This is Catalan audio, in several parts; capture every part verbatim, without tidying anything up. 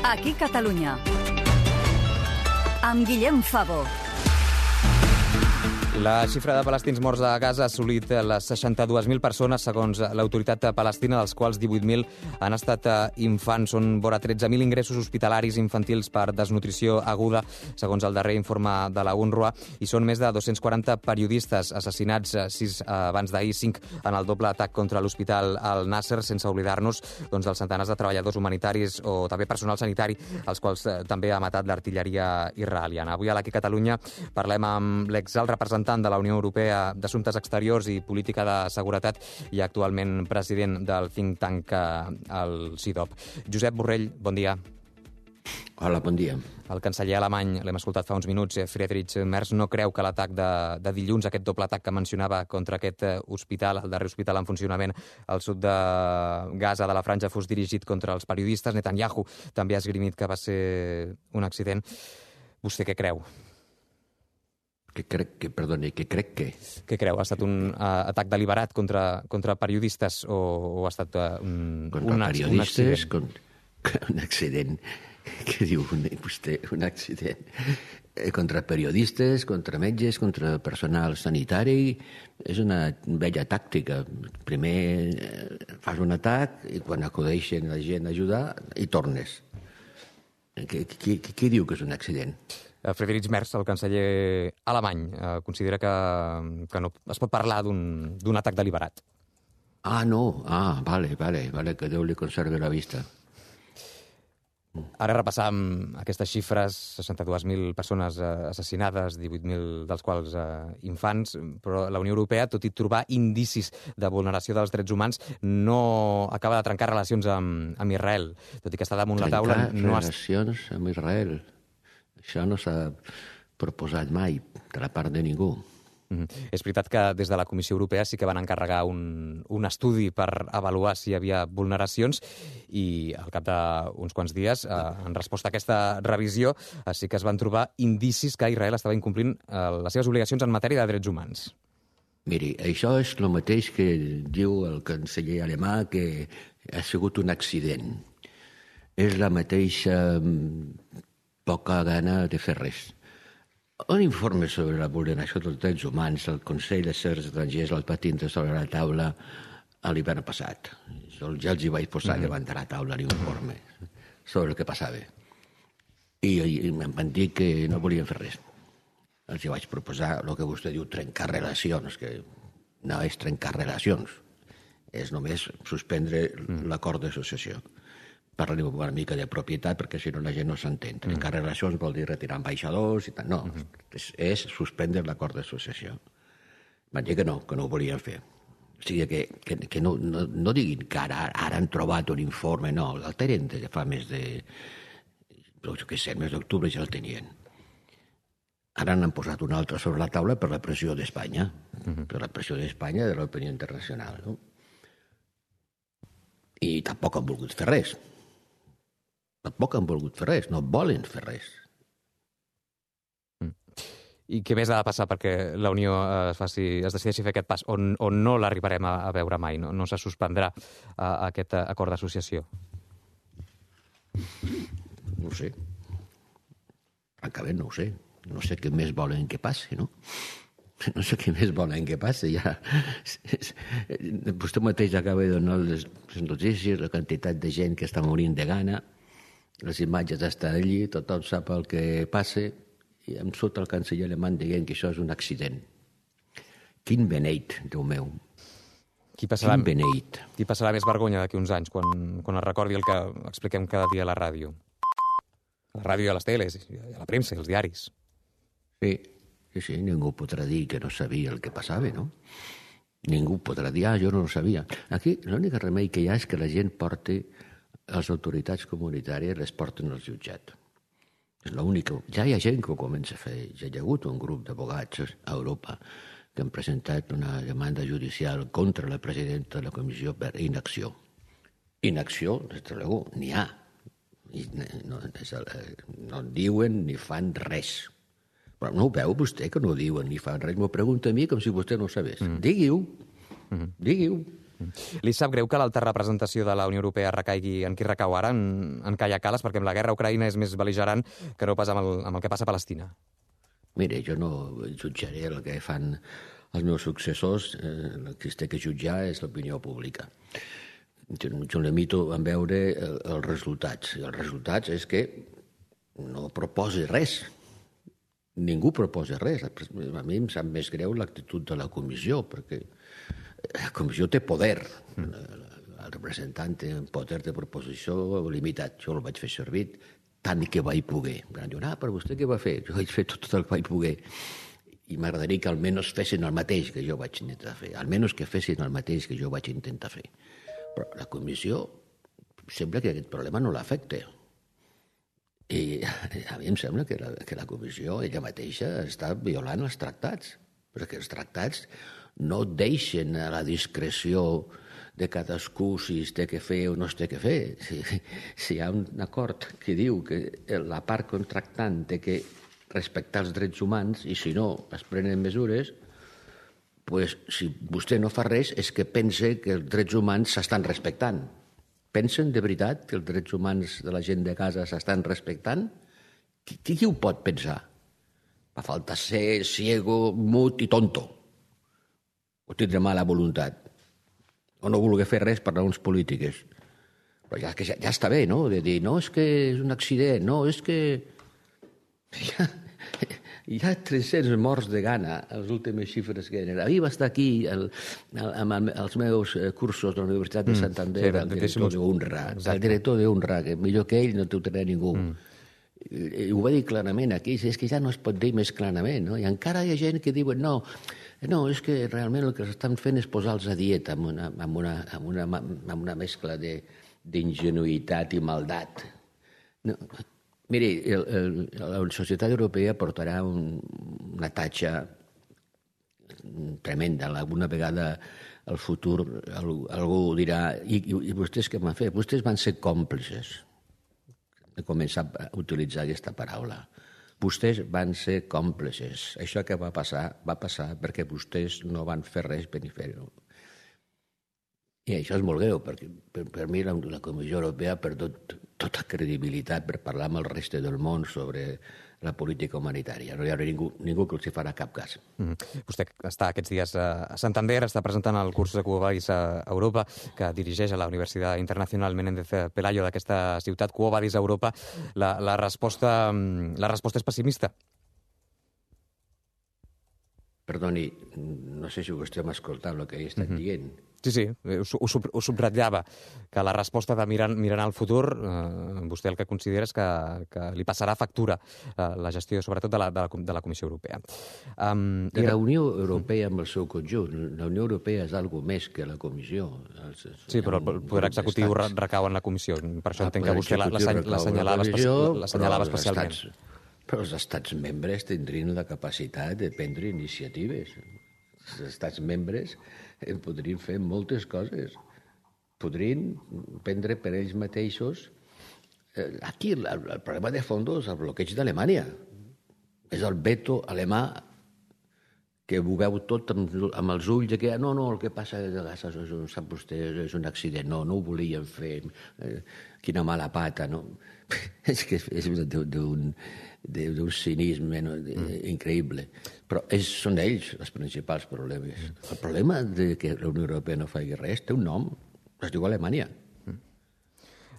Aquí Catalunya. Amb Guillem Fabó. La xifra de palestins morts a Gaza ha assolit les seixanta-dues mil persones, segons l'autoritat palestina, dels quals divuit mil han estat infants. Són vora tretze mil ingressos hospitalaris infantils per desnutrició aguda, segons el darrer informe de la UNRWA, i són més de dos-cents quaranta periodistes assassinats, sis abans d'ahir, cinc en el doble atac contra l'hospital al Nasser, sense oblidar-nos doncs, dels centenars de treballadors humanitaris o també personal sanitari, els quals també ha matat l'artilleria israeliana. Avui a l'Aquí Catalunya parlem amb l'exalt representant de la Unió Europea d'Assumptes Exteriors i Política de Seguretat i actualment president del think tank, el C I D O P. Josep Borrell, bon dia. Hola, bon dia. El canceller alemany, l'hem escoltat fa uns minuts, Friedrich Merz, no creu que l'atac de, de dilluns, aquest doble atac que mencionava contra aquest hospital, el darrer hospital en funcionament al sud de Gaza, de la Franja, fos dirigit contra els periodistes. Netanyahu també ha esgrimit que va ser un accident. Vostè què creu? Que crec que, perdoni, que crec que... Què creu? Ha estat un uh, atac deliberat contra, contra periodistes o, o ha estat uh, un, contra un, periodistes, un accident? Con, un accident. Què diu vostè? Un accident. Eh, contra periodistes, contra metges, contra personal sanitari. És una vella tàctica. Primer eh, fas un atac i quan acudeixen la gent a ajudar hi tornes. Què, què, què diu que és un accident? Friedrich Merz, el canceller alemany, considera que, que no es pot parlar d'un atac deliberat. Ah, no. Ah, vale, vale, vale, que Déu li conservi la vista. Ara repassam aquestes xifres, seixanta-dues mil persones assassinades, divuit mil dels quals eh, infants, però la Unió Europea, tot i trobar indicis de vulneració dels drets humans, no acaba de trencar relacions amb, amb Israel. Tot i que està damunt trencar la taula... Trencar no relacions has... amb Israel... Això no s'ha proposat mai de la part de ningú. Mm-hmm. És veritat que des de la Comissió Europea sí que van encarregar un, un estudi per avaluar si hi havia vulneracions i al cap d'uns quants dies, eh, en resposta a aquesta revisió, eh, sí que es van trobar indicis que Israel estava incomplint eh, les seves obligacions en matèria de drets humans. Miri, això és el mateix que diu el canceller alemà, que ha sigut un accident. És la mateixa poca gana de fer res. Un informe sobre la vulneració dels drets humans, el Consell d'Afers Estrangers el va tindre sobre la taula l'hivern passat. Jo ja els hi vaig posar mm-hmm. davant de la taula l'informe sobre el que passava. I, i em van dir que no volien fer res. Els hi vaig proposar el que vostè diu trencar relacions, que no és trencar relacions, és només suspendre mm. l'acord d'associació. Parlem una mica de propietat, perquè si no la gent no s'entén. Trencar mm. relacions vol dir retirar ambaixadors i tal. No, mm-hmm. és, és suspendre l'acord d'associació. Van dir que no, que no ho volien fer. O sigui, que, que, que no, no, no diguin que ara, ara han trobat un informe, no, el tenen de fa més de... jo què sé, més d'octubre ja el tenien. Ara n'han posat un altre sobre la taula per la pressió d'Espanya, mm-hmm. per la pressió d'Espanya i de l'opinió internacional, no? I tampoc han volgut fer res. Tampoc han volgut fer res, no volen fer res. I què més ha de passar perquè la Unió es, faci, es decideixi fer aquest pas, on, on no l'arribarem a, a veure mai, no, no se suspendrà uh, aquest acord d'associació? No ho sé. Francament no ho sé. No sé què més volen que passi, no? No sé què més volen que passi. Ja... Vostè mateix acaba de donar les notícies, la quantitat de gent que està morint de gana, les imatges estan allí, tothom sap el que passa, i em surt el canceller alemany dient que això és un accident. Quin beneit, Déu meu. Qui passarà, Quin beneit. Qui passarà més vergonya d'aquí uns anys, quan, quan es recordi el que expliquem cada dia a la ràdio? A la ràdio i a les teles, i a la premsa i als diaris. Sí, sí, sí, ningú podrà dir que no sabia el que passava, no? Ningú podrà dir, ah, jo no ho sabia. Aquí l'únic remei que hi ha és que la gent porti, les autoritats comunitàries les porten al jutjat. És l'únic. Ja hi ha gent que ho comença a fer. Ja hi ha hagut un grup d'abogats a Europa que han presentat una demanda judicial contra la presidenta de la comissió per inacció. Inacció, des de luego, n'hi ha. I no, no diuen ni fan res. Però no ho veu vostè, que no diuen ni fan res? M'ho pregunta a mi com si vostè no ho sabés. Mm. Digui-ho. Mm. Digui-ho. Li sap greu que l'alta representació de la Unió Europea recaigui en qui recau ara, en, en Kaja Kallas, perquè amb la guerra a Ucraïna és més bel·ligerant que no pas amb el, amb el que passa a Palestina? Mire, jo no jutjaré el que fan els meus successors. Eh, el que es té que jutjar és l'opinió pública. Jo, jo limito a veure el, els resultats. I els resultats és que no proposi res. Ningú proposa res. A mi em sap més greu l'actitud de la comissió, perquè la comissió té poder. El representant té un poder de proposició limitat. Jo el vaig fer servir tant que vaig poder. Em diuen, ah, però vostè què va fer? Jo vaig fer tot el que vaig poder. I m'agradaria que almenys fessin el mateix que jo vaig intentar fer. Almenys que fessin el mateix que jo vaig intentar fer. Però la comissió sembla que aquest problema no l'afecta. I a mi em sembla que la, que la comissió ella mateixa està violant els tractats, perquè els tractats no deixen a la discreció de cadascú si es té que fer o no es té que fer. Si, si hi ha un acord que diu que la part contractant té que respectar els drets humans i si no es prenen mesures, pues, si vostè no fa res és que pense que els drets humans s'estan respectant. Pensen de veritat que els drets humans de la gent de casa s'estan respectant? Qui, qui ho pot pensar? Fa falta ser ciego, mut i tonto. O tindre mala voluntat. O no voler fer res per raons polítiques. Però ja, ja, ja està bé, no?, de dir, no, és que és un accident, no, és que... Ja, hi ha tres-cents morts de gana, les últimes xifres que eren. Ahir va estar aquí el, el, amb els meus cursos de la Universitat de Santander, mm, sí, el director d'UNRWA, el director d'UNRWA, que millor que ell no t'ho tindrà ningú. Mm. I, I ho va dir clarament aquí, és que ja no es pot dir més clarament, no? I encara hi ha gent que diuen, no, no, és que realment el que s'estan fent és posar-los a dieta amb una, amb una, amb una, amb una mescla d'ingenuïtat i maldat. No, miri, el, el, la societat europea portarà un, una tatxa tremenda. Alguna vegada al futur algú dirà i, i, i vostès què van fer? Vostès van ser còmplices. He començat a utilitzar aquesta paraula. Vostès van ser còmplices. Això que va passar, va passar perquè vostès no van fer res per fer-ho. I això és molt greu, perquè per, per mi la, la Comissió Europea ha perdut tota credibilitat per parlar amb el reste del món sobre la política humanitària. No hi haurà ningú, ningú que els hi farà cap cas. Mm. Vostè està aquests dies a Santander, està presentant el curs de Quo Vadis a Europa, que dirigeix a la Universitat Internacional Menéndez Pelayo d'aquesta ciutat. Quo Vadis a Europa, la, la, resposta, la resposta és pessimista? Perdoni, no sé si vostè m'ha escoltat el que he estat mm-hmm. dient. Sí, sí, ho, ho, ho subratllava, que la resposta de mirant, mirant al futur, eh, vostè el que considera és que, que li passarà factura eh, la gestió, sobretot, de la, de la, de la Comissió Europea. Um, de la Unió Europea amb el seu conjunt. La Unió Europea és alguna més que la Comissió. Els, sí, però el poder executiu estats... recau en la Comissió. Per això ah, entenc que vostè l'assenyalava especialment. Estats, però els estats membres tindrien la capacitat de prendre iniciatives. Els estats membres podrien fer moltes coses. Podrien prendre per ells mateixos... Aquí el, el problema de fons és el bloqueig d'Alemanya. És el veto alemà que ho veu tot amb, amb els ulls de que no, no, el que passa a Gaza és un, sap vostè, és un accident, no, no ho volien fer, eh, quina mala pata, no? És que és d'un d'un cinisme no? increïble. Però ells, són ells els principals problemes. El problema de que la Unió Europea no faci res té un nom, es diu Alemanya.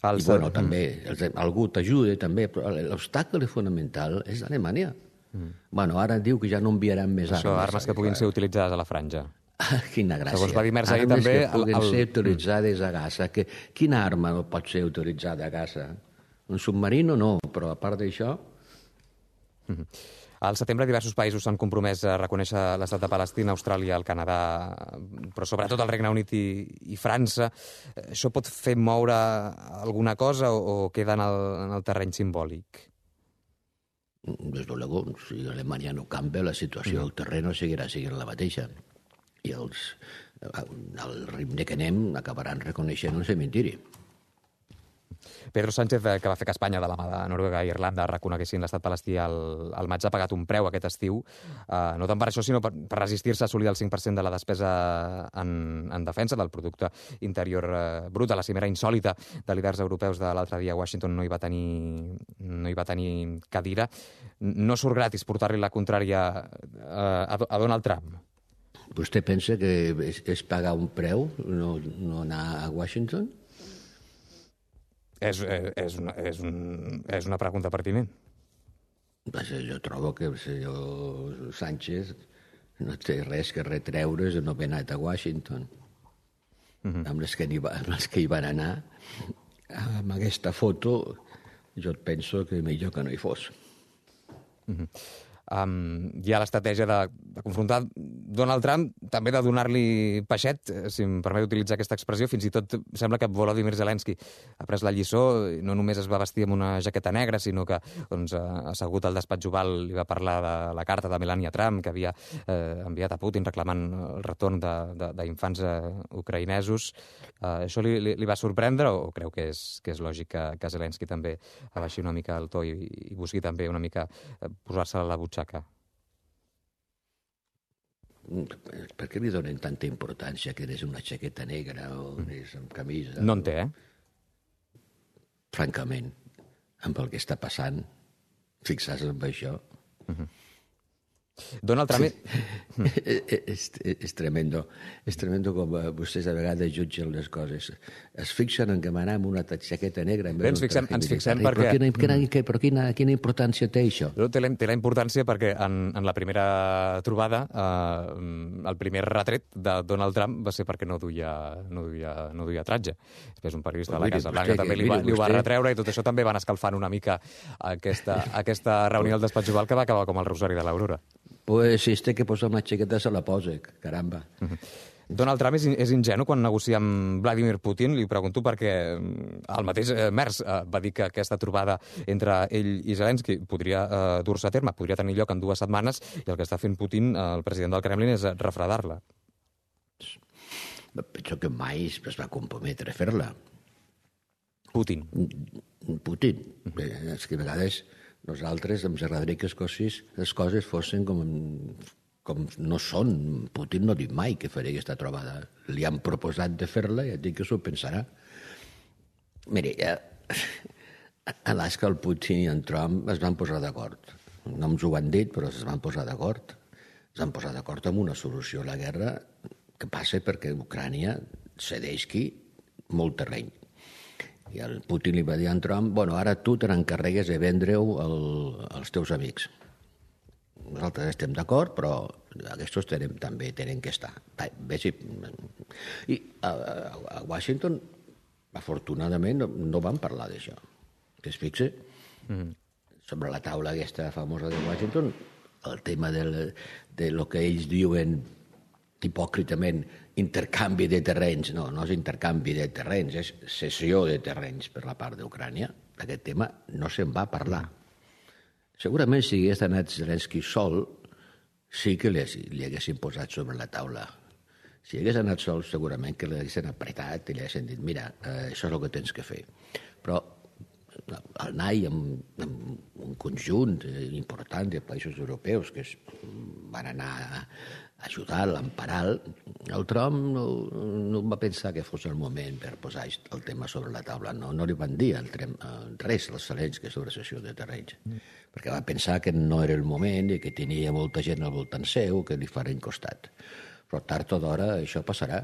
I bueno, també, algú t'ajuda també, però l'obstacle fonamental és Alemanya. Mm. Bueno, ara diu que ja no enviaran més armes. Això, armes que puguin ser utilitzades a la franja. Ah, quina gràcia. Segons va dir Merz ahir també... Armes que puguin el... ser utilitzades a Gaza. Que, quina arma no pot ser utilitzada a Gaza? Un submarino no, però a part d'això... Mm-hmm. Al setembre diversos països s'han compromès a reconèixer l'estat de Palestina, Austràlia, el Canadà, però sobretot el Regne Unit i, i França. Això pot fer moure alguna cosa o, o queda en el, en el terreny simbòlic? Desde luego, si Alemanya no canvia, la situació del terreny seguirà sent la mateixa. I els, al ritme que anem acabaran reconeixent un cementiri. Pedro Sánchez, que va fer que Espanya, de la mà de Noruega i Irlanda, reconeguessin l'estat palestí al, al maig, ha pagat un preu aquest estiu, eh, no tant per això, sinó per, per resistir-se a assolir el cinc per cent de la despesa en, en defensa del producte interior eh, brut. A la cimera insòlita de líders europeus de l'altre dia a Washington no hi va tenir, no hi va tenir cadira. No surt gratis portar-li la contrària eh, a, a Donald Trump. Vostè pensa que és, és pagar un preu, no, no anar a Washington? És, és, una, és, un, és una pregunta pertinent. Jo trobo que el senyor Sánchez no té res que retreure's de no haver anat a Washington. Uh-huh. Amb les que, va, amb les que hi van anar, amb aquesta foto, jo penso que millor que no hi fos. Uh-huh. Um, hi ha l'estratègia de, de confrontar Donald Trump, també de donar-li peixet, si em permet utilitzar aquesta expressió. Fins i tot sembla que Volodymyr Zelensky ha pres la lliçó, no només es va vestir amb una jaqueta negra, sinó que doncs, assegut al despatx oval li va parlar de la carta de Melania Trump que havia eh, enviat a Putin reclamant el retorn d'infants eh, ucraïnesos. Eh, això li, li, li va sorprendre o creu que és, que és lògic que, que Zelensky també abaixi una mica el to i, i busqui també una mica eh, posar-se a la butxaca? Per què li donen tanta importància que eres una jaqueta negra o eres amb camisa? No en té, eh? Francament, amb el que està passant, fixar-se en això. Uh-huh. Donald Trump... és, és tremendo. És tremendo com vostès a vegades jutgen les coses. Es fixen en que m'anar amb una jaqueta negra... Bé, ens fixem, ens fixem però perquè... Quina, quina, però quina, quina importància té això? Té la, té la importància perquè en, en la primera trobada eh, el primer retret de Donald Trump va ser perquè no duia, no duia, no duia tratge. Després un periodista de la Casa Blanca també li va, li ho va retreure i tot això també van escalfant una mica aquesta, aquesta reunió al despatx oval que va acabar com el Rosari de l'Aurora. Pues si es té que posar una jaqueta se la posa, caramba. Uh-huh. Donald Trump és, és ingenu quan negocia amb Vladimir Putin. Li pregunto perquè el mateix eh, Merz eh, va dir que aquesta trobada entre ell i Zelensky podria eh, dur-se a terme, podria tenir lloc en dues setmanes, i el que està fent Putin, eh, el president del Kremlin, és refredar-la. Penso que mai es va comprometre a fer-la. Putin. Putin. Uh-huh. És que a vegades... Nosaltres ens agradaria que les coses, les coses fossin com, com no són. Putin no diu mai que faria aquesta trobada. Li han proposat de fer-la i ha dit que s'ho pensarà. Mire, ja, Alaska, el Putin i en Trump es van posar d'acord. No ens ho han dit, però es van posar d'acord. Es van posar d'acord amb una solució a la guerra que passa perquè Ucrània cedeixi molt terreny. I el Putin li va dir a en Trump, bueno, ara tu te n'encarregues de vendre-ho al, als teus amics. Nosaltres estem d'acord, però aquests tenen, també tenen que estar. Bé, sí. I a, a Washington, afortunadament, no, no van parlar d'això. Que es fixe, mm. sobre la taula aquesta famosa de Washington, el tema del, de lo que ells diuen hipòcritament intercanvi de terrenys. No, no és intercanvi de terrenys, és cessió de terrenys per la part d'Ucrània. Aquest tema no se'n va parlar. Segurament si hagués anat Zelensky sol, sí que li, li haguessin posat sobre la taula. Si hagués anat sol, segurament que l'haguessin apretat i li haguessin dit, mira, eh, això és el que tens que fer. Però anar-hi amb, amb un conjunt important de països europeus que es van anar a ajudar, l'emparar, el Trump no, no va pensar que fos el moment per posar el tema sobre la taula. No, no li van dir el trem, res als Zelensky sobre cessió de terrenys, mm. perquè va pensar que no era el moment i que tenia molta gent al voltant seu que li farien costat. Però tard o d'hora això passarà,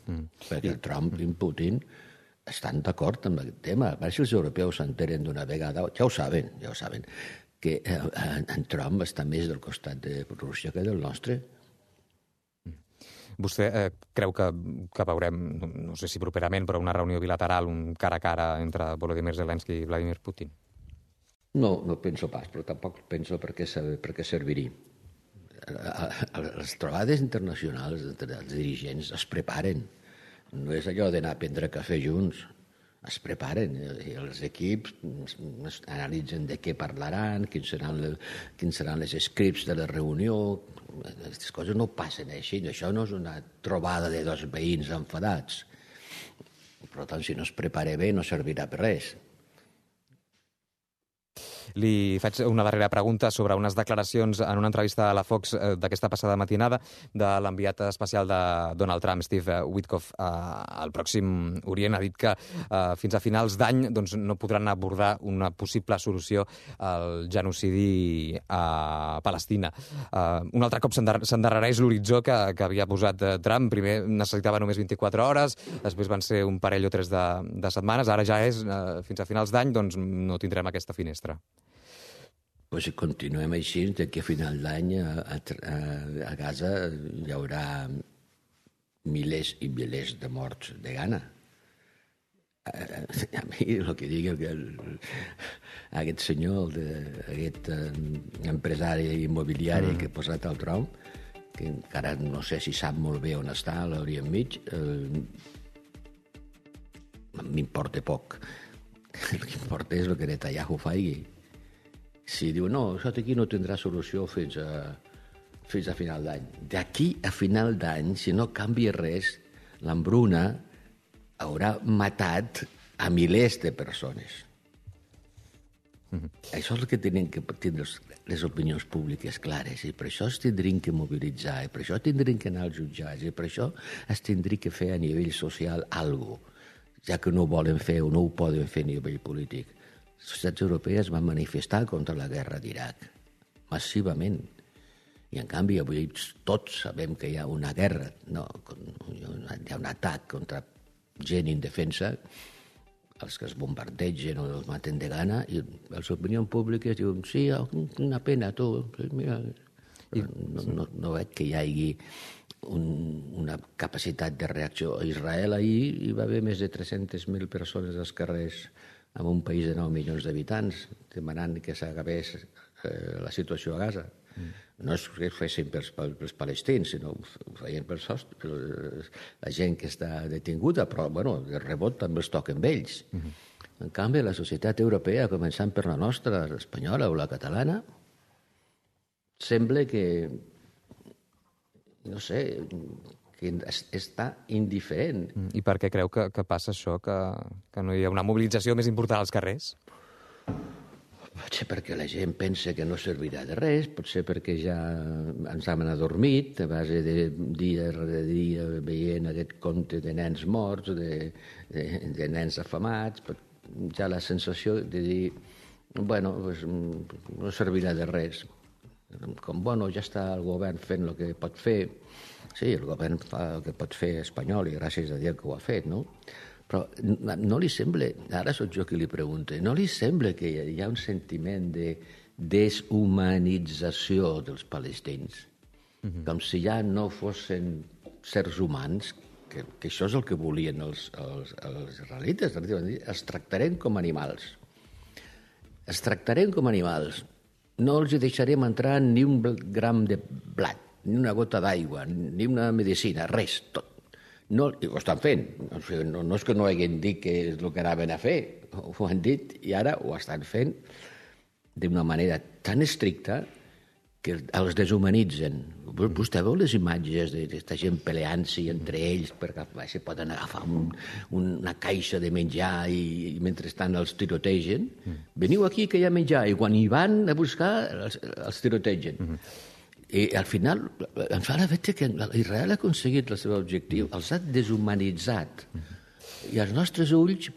mm. perquè el Trump i Putin estan d'acord amb aquest tema. A veure si els europeus s'enteren d'una vegada, ja ho saben, ja ho saben, que en Trump està més del costat de Rússia que del nostre. Vostè eh, creu que, que veurem, no sé si properament, però una reunió bilateral, un cara a cara entre Volodymyr Zelensky i Vladimir Putin? No, no penso pas, però tampoc penso per què, per què serviria. Les trobades internacionals entre els dirigents es preparen. No és allò d'anar a prendre cafè junts. Es preparen. I els equips analitzen de què parlaran, quins seran, quins seran les scripts de la reunió. Aquestes coses no passen així. Això no és una trobada de dos veïns enfadats. Per tant, si no es prepara bé, no servirà per res. Li faig una darrera pregunta sobre unes declaracions en una entrevista a la Fox d'aquesta passada matinada de l'enviat especial de Donald Trump, Steve Witkoff, al Pròxim Orient. Ha dit que fins a finals d'any doncs, no podran abordar una possible solució al genocidi a Palestina. Un altre cop s'endarrereix l'horitzó que, que havia posat Trump. Primer necessitava només vint-i-quatre hores, després van ser un parell o tres de, de setmanes, ara ja és fins a finals d'any, doncs no tindrem aquesta finestra. Pues si continuem així, d'aquí a final d'any a, a, a Gaza hi haurà milers i milers de morts de gana. A, a mi el que digui el, aquest senyor, el, aquest empresari immobiliari mm. que ha posat al tron, que encara no sé si sap molt bé on està, a l'Orient Mig, eh, m'importa poc. El que importa és el que Netanyahu faci. Si diu, no, això aquí no tindrà solució fins a, fins a final d'any. D'aquí a final d'any, si no canvia res, l'hambruna haurà matat a milers de persones. Mm-hmm. Això és el que tenen que tindre les opinions públiques clares, i per això es tindrien que mobilitzar, i per això tindrien que anar als jutjats, i per això es tindria que fer a nivell social alguna cosa, ja que no ho volen fer o no ho poden fer a nivell polític. Les societats europees van manifestar contra la guerra d'Iraq, massivament. I, en canvi, avui tots sabem que hi ha una guerra, no, hi ha un atac contra gent indefensa, els que es bombardegen o els maten de gana, i les opinions públiques diuen, sí, una pena, tu, mira... No, no, no veig que hi hagi un, una capacitat de reacció. A Israel ahir hi va haver més de tres-centes mil persones als carrers en un país de nou milions d'habitants, demanant que s'acabés eh, la situació a Gaza. Mm. No és que ho fessin pels, pels palestins, sinó ho feien per, per la gent que està detinguda, però bueno, de rebot també els toquen ells. Mm-hmm. En canvi, la societat europea, començant per la nostra, l'espanyola o la catalana, sembla que, no sé, que està indiferent. I per què creu que, que passa això, que, que no hi ha una mobilització més important als carrers? Potser perquè la gent pensa que no servirà de res, potser perquè ja ens hem adormit a base de dia rere dia veient aquest compte de nens morts, de, de, de nens afamats, ja la sensació de dir, bueno, pues, no servirà de res. Com, bueno, ja està el govern fent el que pot fer. Sí, el govern fa el que pot fer espanyol i gràcies a Déu que ho ha fet, no? Però no li sembla, ara soc jo qui li pregunta, no li sembla que hi ha un sentiment de deshumanització dels palestins? Mm-hmm. Com si ja no fossin sers humans, que, que això és el que volien els, els, els israelites, els tractarem com animals. Els tractarem com animals. No els deixarem entrar ni un gram de blat, ni una gota d'aigua, ni una medicina, res, tot. No, ho estan fent. No, no és que no haguem dit que és el que anaven a fer, ho han dit i ara ho estan fent d'una manera tan estricta que els deshumanitzen. Vostè veu les imatges d'aquesta gent peleant-s'hi entre ells perquè se poden agafar un, una caixa de menjar i, i mentrestant els tirotegen? Mm. Veniu aquí que hi ha menjar, i quan hi van a buscar els, els tirotegen. Mm-hmm. I al final em fa la veure que Israel ha aconseguit el seu objectiu, els ha deshumanitzat. Mm-hmm. I als nostres ulls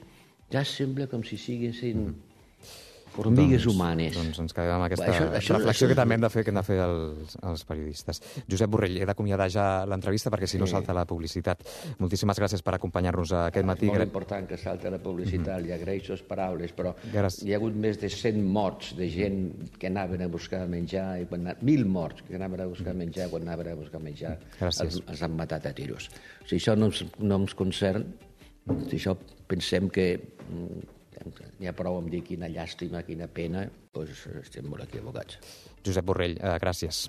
ja sembla com si siguessin formigues doncs, humanes. Doncs ens quedem amb aquesta això, això, reflexió això, que també hem de fer, que hem de fer els, els periodistes. Josep Borrell, he d'acomiadar ja l'entrevista perquè si no salta la publicitat. Moltíssimes gràcies per acompanyar-nos aquest matí. És molt important que salta la publicitat, mm-hmm. li agraeixo les paraules, però gràcies. Hi ha hagut més de cent morts de gent que anaven a buscar menjar, i quan, mil morts que anaven a buscar menjar, quan anaven a buscar menjar els, els han matat a tiros. O sigui, això no ens, no ens concern, si això pensem que n'hi ha prou amb dir quina llàstima, quina pena, doncs estem molt equivocats. Josep Borrell, eh, gràcies.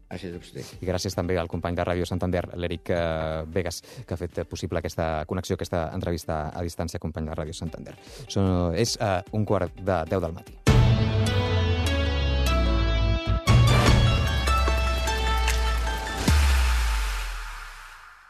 Gràcies a vostè. I gràcies també al company de Ràdio Santander, l'Eric eh, Vegas, que ha fet possible aquesta connexió, aquesta entrevista a distància, company de Ràdio Santander. So, és eh, un quart de deu del matí.